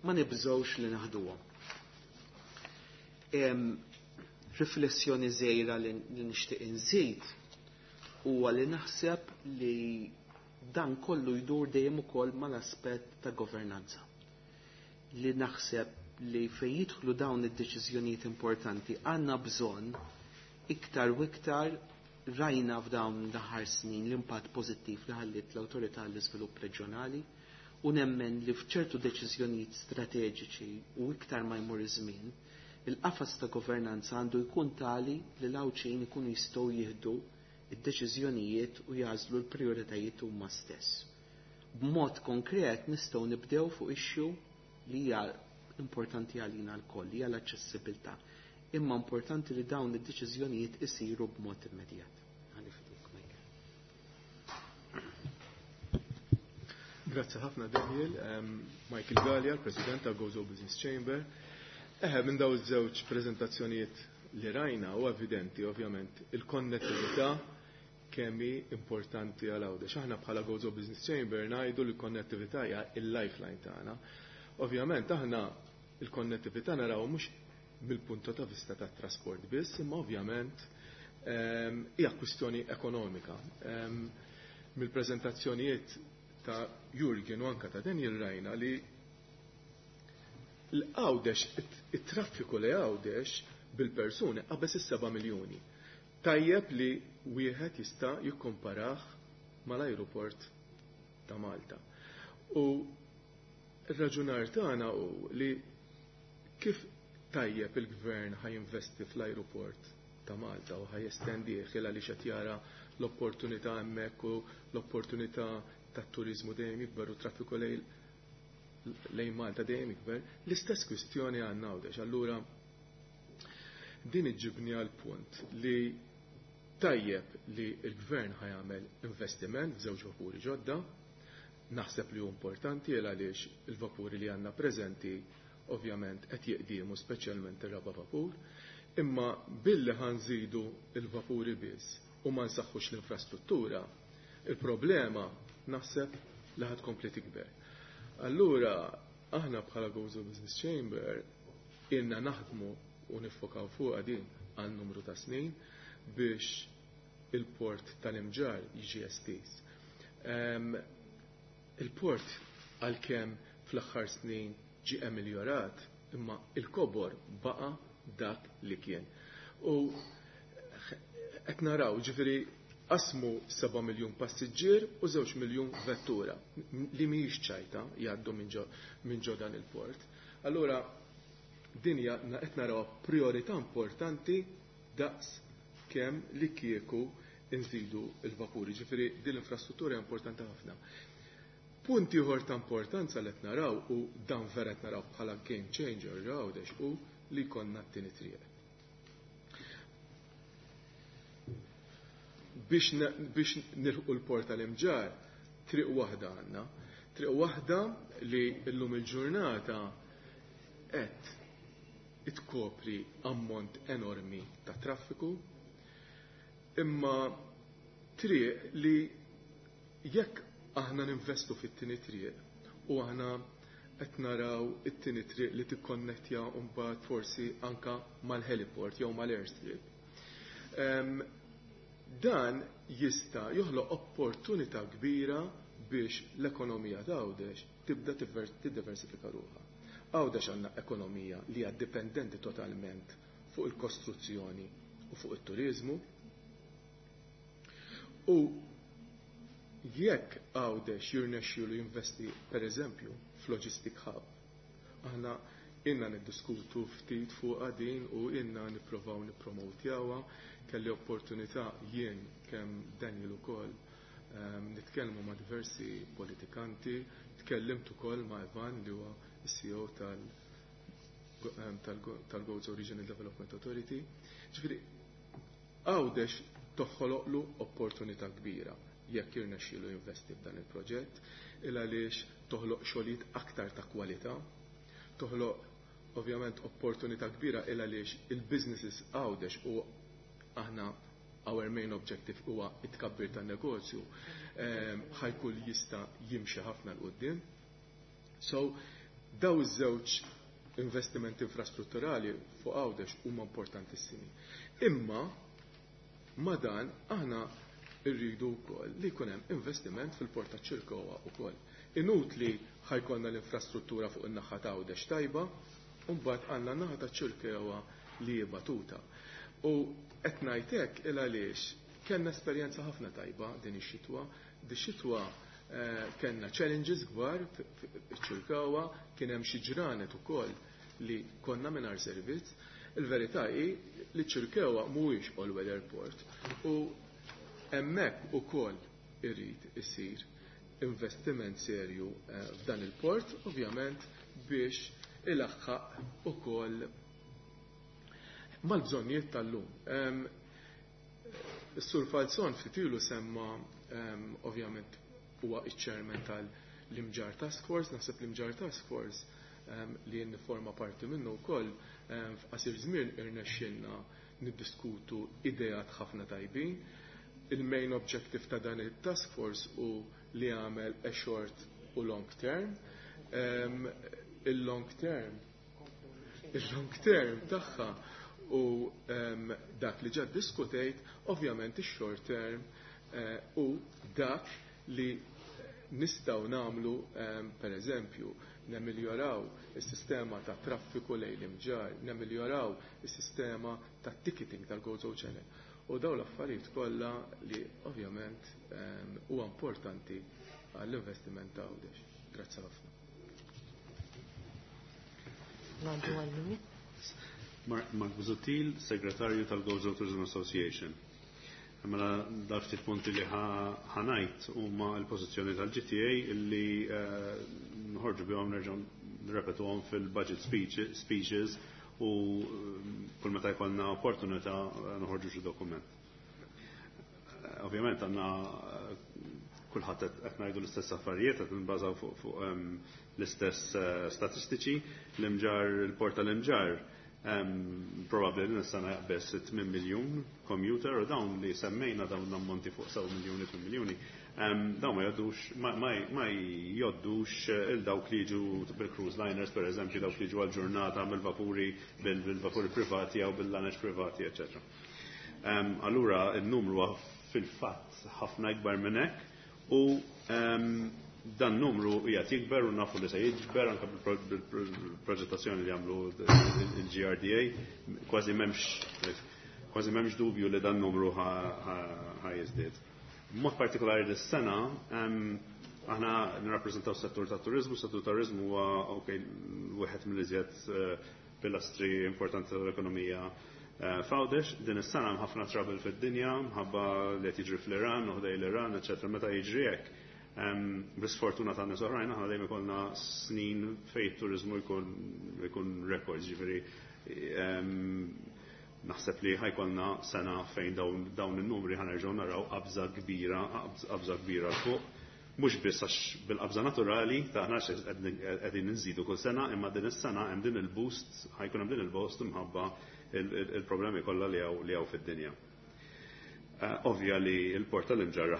ma nibżgħux li naħduhom. Riflessjoni żgħira li nixtieq inżid huwa li naħseb li dan kollu jdur dejjem ukoll mal-aspett ta' governanza. Li naħseb li fejn jidħlu dawn id-deċiżjonijiet importanti għandna bżonn iktar u iktar rajna f'dawn l-aħħar snin l-impatt pożittiv li ħalliet l-Awtorità għall-Iżvilupp Reġjonali u nemmen li f'ċertu deċiżjonijiet strateġiċi u iktar ma jmur iż-żmien, il-qafas ta' governanza għandu jkun tali li l-Għawdxin ikunu jistgħu jieħdu id-deċiżjonijiet u jażlu l-prijoritajiet huma stess. B'mod konkret nistgħu nibdew fuq issue li hija importanti għalina lkoll, hija l-aċċessibilità. Imma importanti li dawn id-deċiżjonijiet isiru b'mod immedjat. Ħalli f'idejk, Michael. Grazzi ħafna Daniel, um, Michael Galea, l-President ta' Gozo Business Chamber. Eħe, minn daw iż-żewġ preżentazzjonijiet li rajna u evidenti ovvjament il-konnettività kemm hi importanti għal Għawdex. Aħna bħala Gozo Business Chamber ngħidu li l-konnettività hija il-lifeline tagħna. Ovvjament aħna il-konnettività naraw mhux mill-punto ta' vista tat trasport biss, imma ovvjament ehm, hija kwistjoni ekonomika. Ehm, mill-preżentazzjonijiet ta' Jurgen u anka ta' Daniel rajna li l-Għawdex, it-traffiku li Għawdex bil-persuni qabeż is-seba' miljuni. Tajjeb li wieħed jista' jikkomparah mal-ajruport ta' Malta. U r-raġunar tagħna hu li kif tajjeb il-gvern ħa jinvesti fl-ajruport ta' Malta u ħa jestendih il għaliex qed jara l-opportunità hemmhekk u l-opportunità tat-turiżmu dejjem jikber u traffiku lejn lejn Malta dejjem jikber, l-istess kwistjoni għandna Għawdex. Allura din iġibni għal punt li tajjeb li l-gvern ħa jagħmel investiment f'żewġ vapuri ġodda, naħseb li hu importanti għal għaliex il-vapuri li għandna preżenti ovvjament qed jiqdiemu speċjalment ir-raba' vapur, imma billi ħa nżidu il-vapuri biss u ma nsaħħux l-infrastruttura, il-problema naħseb li ħa tkompli tikber. Allura aħna bħala Gozo Business Chamber ilna naħdmu u niffokaw fuq din għal numru ta' snin biex il-port tal-Imġarr jiġi estiż. Il-port għalkemm fl-aħħar snin ġi ameliorat, imma il-kobor baqa dak li kien. U qed naraw, ġifieri qasmu seba' miljun passiġġier u żewġ miljun vettura li mhijiex ċajta jgħaddu minn ġo dan il-port. Allura din hija qed naraw priorità importanti daqs kemm li kieku nżidu il-vapuri. Ġifieri din l-infrastruttura hija importanti ħafna. Punt ieħor ta' importanza li qed naraw u dan vera qed naraw bħala game changer Għawdex u li jkollna t-tieni triq. Biex, biex nilħqu l-port tal-Imġarr, triq waħda għandna. Triq waħda li llum il-ġurnata qed itkopri ammont enormi ta' traffiku, imma triq li jekk aħna ninvestu fit-tieni triq u aħna qed naraw it-tieni triq li tikkonnettja mbagħad forsi anka mal-heliport jew mal-airstrip. Dan jista' joħloq opportunità kbira biex l-ekonomija ta' Għawdex tibda tiddiversifika ruħha. Għawdex għandna ekonomija li hija dipendenti totalment fuq il-kostruzzjoni u fuq it-turizmu. U jekk Għawdex jirnexxielu jinvesti per eżempju f'logistic hub, aħna inna niddiskutu ftit fuq din u inna nipprovaw nippromotjawha, kelli opportunità jien kemm Daniel ukoll um, nitkellmu ma' diversi politikanti, tkellimt ukoll ma' Ivan li huwa C E O tal, tal-Gozo Regional Development Authority. Ġifieri Għawdex toħoloqlu opportunità kbira jekk jirnexxielu jinvesti f'dan il-proġett, il għaliex toħloq xogħlijiet aktar ta' kwalità, toħloq ovvjament opportunità kbira il għaliex il-businesses Għawdex u aħna our main objective huwa it-tkabbir tan-negozju, ehm, ħajkun jista' jimxi ħafna 'l quddiem. So, daw iż-żewġ investimenti infrastrutturali fuq Għawdex huma importantissimi. Imma ma dan aħna Irridu wkoll li jkun hemm investiment fil-port ta' Ċirkowa wkoll. Inutli ħa jkollna l-infrastruttura fuq in-naħa ta' Għawdex tajba, u mbagħad għandna naħa ta' Ċirkewa li hi batuta. U qed ngħid hekk il għaliex kellna esperjenza ħafna tajba din ix-xitwa. Di xitwa eh, kellna challenges kbar fiċ-Ċirkewa, kien hemm xi ġranet ukoll li konna mingħajr servizz. Il-verità hi li ċ-Ċirkewa mhuwiex all weather port u hemmhekk ukoll irid isir investiment serju eh, f'dan il-port, ovvjament biex ilaħħaq ukoll mal-bżonnijiet tal-lum. Is-Sur Falzon ftit ilu semma, ovvjament huwa iċ-chairman tal-Imġar Task Force, naħseb l-Imġar Task Force li nifforma parti minnu wkoll, f'qasir żmien irnexxielna niddiskutu ideat ħafna tajbin. Il-main objective ta' dan il-task force hu li għamel a short u long term. Il-long term il-long term tagħha u dak li ġa diskutejt, ovvjament ix-short term eh, u dak li nistgħu nagħmlu, per eżempju, nemiljoraw is-sistema ta' traffiku lejn l-Imġar, nemiljoraw is-sistema ta' ticketing tal-Gozo Channel. U daw l-affarijiet kollha li ovvjament huwa importanti għall-investiment ta' Għawdex. Grazzi ħafna. Ngħaddu għal Mark Busuttil, segretarju tal-Gozo Tourism Association. Mela dal ftit punti li ħa ngħid huma l-pożizzjoni tal-G T A illi eh, nħorġu bihom, nerġgħu nrepetuhom fil-budget speeches u eh, kull meta jkollna opportunità eh, nħorġu xi dokument. Ovvjament għandna kulħadd qed ngħidu l-istess affarijiet, qed nbażaw fuq l-istess statistiċi. L-Imġar, il-port tal-Imġar probabbli li nistana jaqbeż tmien miljun commuter u dawn li semmejna, dawn l-ammonti fuq sebgħa miljuni, tmien miljuni, dawn ma joddux ma joddux il dawk li jiġu bil-cruise liners, per eżempju, dawk li jiġu għal-ġurnata bil-vapuri bil-vapuri privati jew bil-laneċ privati, eċċetera. Allura il-numru fil-fatt ħafna ikbar minn hekk u dan numru qiegħed jikber u nafu li se jikber anke bil-proġettazzjoni li għamlu il-G R D A, kważi m'hemmx kważi m'hemmx dubju li dan numru ħa jiżdied. Mod partikolari dis-sena aħna nirrappreżentaw settur ta' turizmu, settur turizmu huwa, okay, wieħed mill-iżjed eh, pilastri importanti tal-ekonomija eh, f'Għawdex. Din is-sena hemm ħafna trouble fid-dinja, mħabba li qed jiġri fl-Iran u ħdej l-Iran, eċetera. Meta jiġri hekk, bl-sfortuna ta' nies oħrajn, aħna dejjem ikollna snin fejn turizmu jkun jkun records, ġifieri naħseb li ħa jkollna sena fejn dawn in-numri ħa nerġgħu naraw qabża kbira, qabża kbira fuq. Mhux biss għax bil-qabża naturali taħna qegħdin nżidu kull sena, imma din is-sena hemm din il-boost, ħa jkun hemm din il-boost imħabba il-problemi kollha li hawn fid-dinja. Eh, ovvja li il-port tal-Imġarr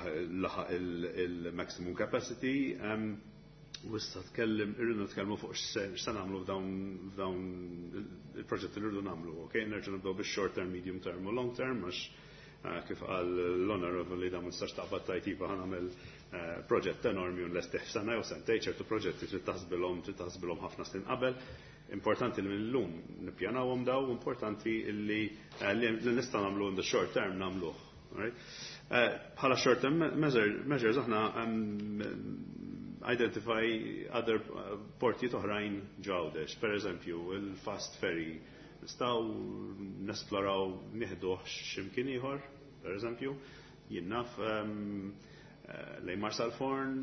laħaq il-maximum capacity, u issa tkellem, irridu nitkellmu fuq x'se nagħmlu f'dawn il-proġetti li rridu nagħmlu, ok? Nerġa' nibdew bix-short term, medium term u long term, għax eh, kif qal l-Honorable li da ma nistax taqbad tgħid iva, ħa nagħmel eh, proġett enormi u nlestih sena jew sentejn. Ċertu proġetti trid taħsbilhom trid taħsbilhom ħafna snin qabel. Importanti li mill-lum nippjanawhom daw, importanti li li nista' nagħmlu in the short term nagħmluh. Eh, bħala short term measures aħna identify other eh, portijiet oħrajn f'Għawdex, per eżempju, il-fast ferry, nistgħu nesploraw nieħduh x'imkien ieħor, per eżempju, jien naf eh, lejn Marsalforn,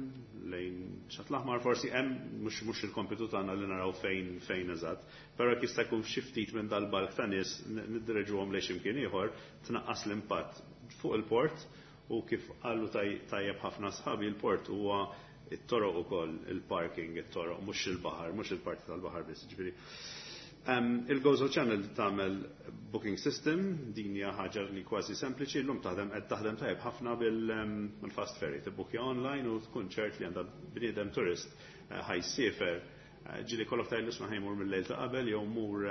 lejn Xatt l-Aħmar, forsi hemm mhux mhux il-kompitu tagħna li naraw fejn fejn eżatt, però jekk jista' jkun xi ftit minn dal-bulk ta' nies niddireġuhom lejn x'imkien ieħor, tnaqqas l-impatt fuq il-port u kif qalu tajjeb ħafna sħabi, il-port huwa it-toroq ukoll, il-parking, it-toroq, mhux il-baħar, mhux il-parti tal-baħar biss, ġifieri. Il-Gozo Channel tagħmel booking system, din hija ħaġa li kważi sempliċi, llum taħdem qed taħdem tajjeb ħafna bil-fast ferry, tibbukja online u tkun ċert li għandha bniedem turist eh, ħa jsiefer. Eh, ġieli kollok tgħidlu isma', ħa jmur mill-lejl ta' qabel jew mur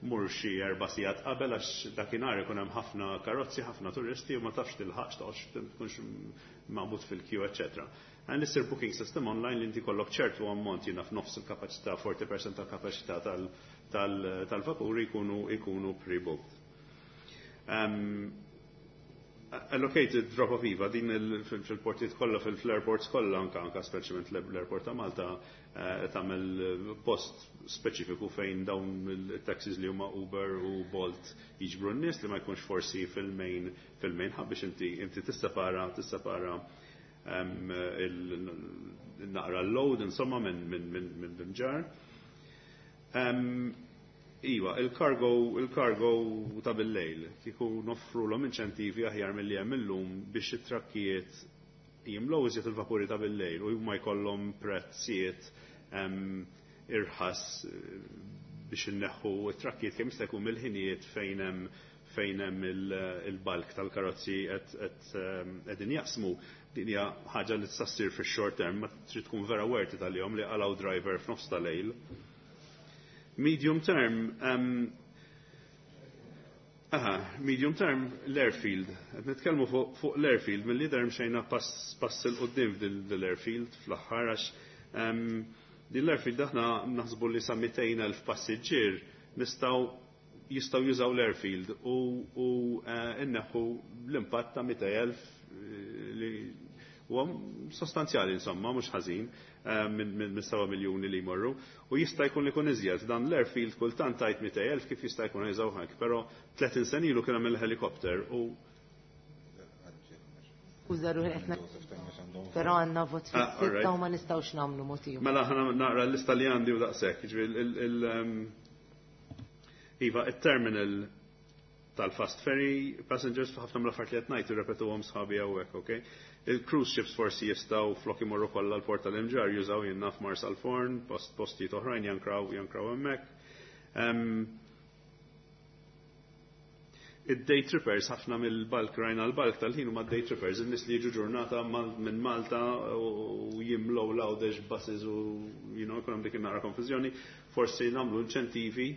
Mur xi erba' sigħat qabel għax dakinhar ikun hemm ħafna karozzi, ħafna turisti u ma tafx tilħaqx, toqgħodx tkunx maqbud fil-queue, eċċetera. Għan issir booking system online li inti kollok ċertu ammont, jiena f'nofs il-kapaċità, forty percent tal-kapaċità tal-vapuri jkunu jkunu pre-booked. Um, allocated drop-off, iva, din fil-portijiet kollha, fil-airports kollha, anka anka speċjalment l-airport ta' Malta, eh, tagħmel post speċifiku fejn dawn il-taxis li huma Uber u Bolt jiġbru n-nies, li ma jkunx forsi fil-main fil-main hub, biex inti inti tissepara tissepara il-naqra l-load insomma minn minn minn minn ġar. Iva, il-cargo, il-cargo ta' bil-lejl, kieku noffru l inċentivi aħjar mill-li hemm illum biex it-trakkijiet jimlow iżjed il-vapuri ta' bil-lejl u huma jkollhom prezzijiet irħas, eh, biex inneħħu it-trakkijiet kemm jista' jkun mill-ħinijiet fejn hemm fejn hemm il-bulk tal-karozzi qed qegħdin jaqsmu. Din hija ħaġa li tista' ssir fix-short term, ma trid tkun vera worth it għalihom li qalgħu driver f'nofs tal-lejl. Medium term, um, aha, medium term l-airfield. Qed nitkellmu fuq fu l-airfield, mill der mxejna pass, pass 'il quddiem f'dil l-airfield fl-aħħar, għax um, din l-airfield aħna naħsbu li sa mitejn elf passiġġier nistgħu jistgħu jużaw l-airfield u, u uh, inneħħu l-impatt ta' mitejn elf eh, li huwa sostanzjali insomma, mhux ħażin, eh, minn min, seba' miljuni li jmorru. U jista' jkun li jkun iżjed. Dan l-airfield kultant tajt mitejn elf, kif jista' jkun jużaw hekk, però tletin sena ilu kien hemm il-helikopter u Skuża ruħi qed, però għandna vot Ah, fis-sitta u ma nistgħux nagħmlu motiv. Mela ħana naqra l-lista li għandi u daqshekk. Ġifieri il- um, Iva, il-terminal tal-fast ferry passengers, ħafna mill-affarijiet li qed ngħid irrepetuhom sħabi hawnhekk, okay? Il-cruise ships forsi jistgħu, flok imorru kollha l-port tal-Imġarr, jużaw jiena f'Marsalforn, post postijiet oħrajn, jankraw jankraw hemmhekk. Um, id-day trippers, ħafna mill-bulk, rajna l-bulk tal-ħin huma day trippers, in-nies li jiġu ġurnata minn Malta u jimlow l-Għawdex buses u you know, jkun hemm dik naqra konfużjoni, forsi nagħmlu inċentivi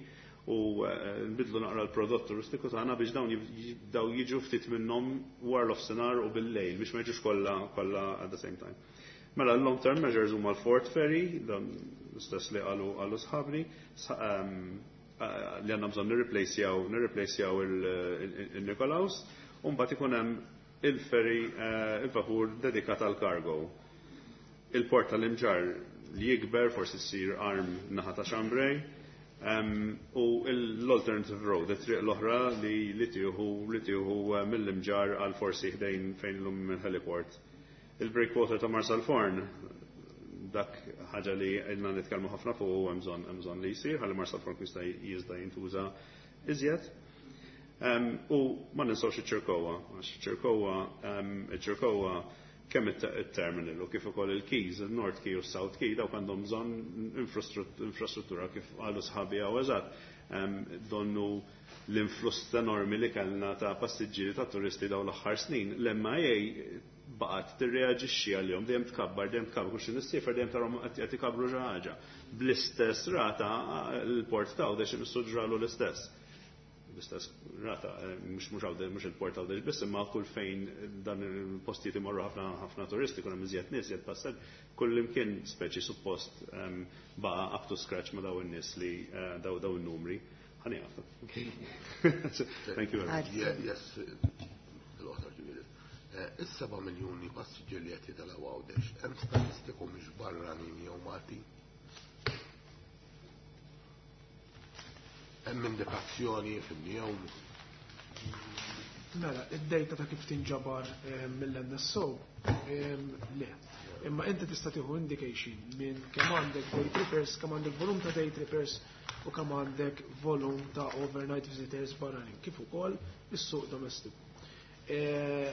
u eh, nbidlu naqra l-prodott turistiku tagħna biex dawn jibdew jiġu ftit minnhom wara l-offsenar u bil-lejl biex ma jiġux kollha kollha at the same time. Mela l-long term measures huma l-Fourth Ferry, dan l-istess li qalu qalu sħabni, ehm, eh, li għandna bżonn nirreplacejaw nirreplacejaw il-Nikolaus, u mbagħad ikun hemm il-ferry, eh, il-vapur dedikat għal cargo. Il-port tal-Imġarr li jikber, forsi ssir arm naħa ta' Chambray, um, u l-alternative road, it-triq l-oħra li li tieħu li tieħu eh, mill-Imġarr għal forsi ħdejn fejn l-lum il-heliport. Il-breakwater ta' Marsalforn, dak ħaġa li ilna nitkellmu ħafna fuq u hemm bżonn hemm bżonn li jsir ħalli Marsalforn jista' jista' jintuża iżjed. Um, u ma ninsawx iċ-Ċirkowa, għax iċ-Ċirkowa um, iċ-Ċirkowa kemm it-terminal u kif ukoll il-quays, il-North Quay u s-South Quay, dawk għandhom bżonn infrastruttura, kif qalu sħabi hawn eżatt. Um, donnu l-influss enormi li kellna ta' passiġġieri, ta' turisti daw l-aħħar snin, l-M I A baqgħet tirreaġixxi għalihom, dejjem tkabbar, dejjem tkabbar, kull xi nissiefer dejjem tarhom qed ikabru xi ħaġa. Bl-istess rata l-port ta' Għawdex imissu ġralu l-istess. L-istess rata, mhux mhux Għawdex, mhux il-port Għawdex biss, imma kull fejn dan il-postijiet imorru ħafna ħafna turisti, kull hemm iżjed nies, iżjed passaġġ, kull imkien speċi suppost baqa' up to scratch ma' daw in-nies li eh, daw daw in-numri. Ħa nieqaf. Thank you very much. Yes, il-qosor ġifieri. Eh, is-seba' miljuni passiġġier li qed jitilgħu Għawdex, hemm statistiku mhux barranin jew Maltin? Hemm indikazzjoni fil-jew Mela, id-data ta' kif tinġabar eh, mill-N S O, eh, le. Imma inti tista' tieħu indication minn kemm għandek day trippers, kemm għandek volum ta' day trippers u kemm għandek volum ta' overnight visitors barranin, kif ukoll is-suq domestiku. Eh,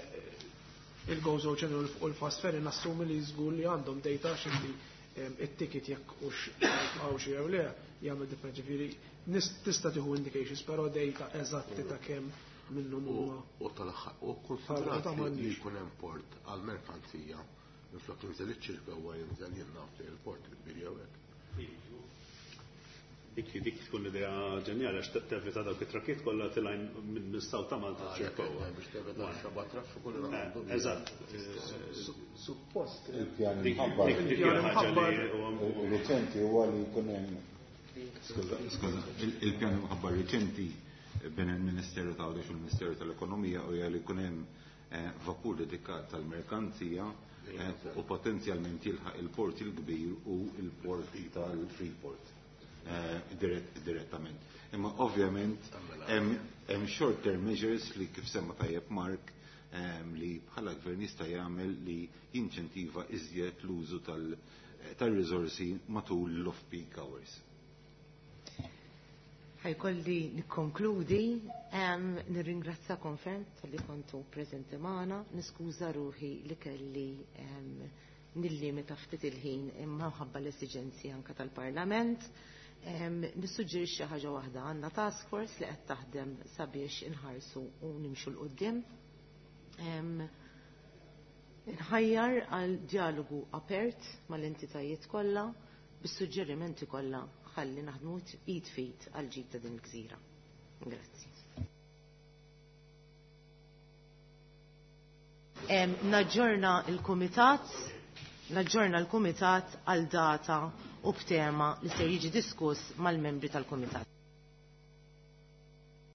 Il-Gozo Channel u l-Fast Ferry nassumi li żgur li għandhom data, x'inti it-ticket jekk hux għaw xi jew le jagħmel different, ġifieri tista' tieħu indications, però data eżatti ta' kemm minnhom huma U tal-aħħar, u konsidrat li jkun hemm port għal merkanzija minflok jinżel iċ-Ċirkewwa, jinżel jien naf il-port il-kbir jew hekk. Dik dik tkun idea ġenjali għax tevita dawk it-trakkiet kollha tilgħin minn south ta' Malta Ċirkewwa. Biex tevita xaba traffiku li Eh, Eżatt. Suppost Il-pjan Dik imħabbar dik dik hija ħaġa li huwa reċenti huwa li jkun hemm Skuża, skuża, il- il-pjan imħabbar reċenti bejn il-Ministeru ta' Għawdex u l-Ministeru tal-Ekonomija u li jkun hemm eh, vapur dedikat tal-merkanzija eh, u potenzjalment jilħaq il-port il-kbir u il-port tal-Freeport eh, dirett- direttament. Imma ovvjament hemm hemm short term measures li kif semma tajjeb Mark em, li bħala gvern jista' jagħmel li jinċentiva iżjed l-użu tal- tal-riżorsi matul l-off-peak hours. Ħa jkolli nikkonkludi, em, nirringrazzakom ferm talli kontu preżenti magħna, niskuża ruħi li kelli em, nillimita ftit il-ħin imma ħabba l-esiġenzi anka tal-Parlament. Em, Nissuġġerixxi ħaġa waħda, għandna task force li qed taħdem sabiex inħarsu u nimxu 'l quddiem. Em, Nħajjar għal dialogu apert mal-entitajiet kollha bis-suġġerimenti kollha ħalli naħdmu id f'id għal ġid ta' din il-gżira. Grazzi. Em, Naġġorna il-Kumitat, naġġorna l-Kumitat għal data u b'tema li se jiġi diskuss mal-membri tal-Kumitat.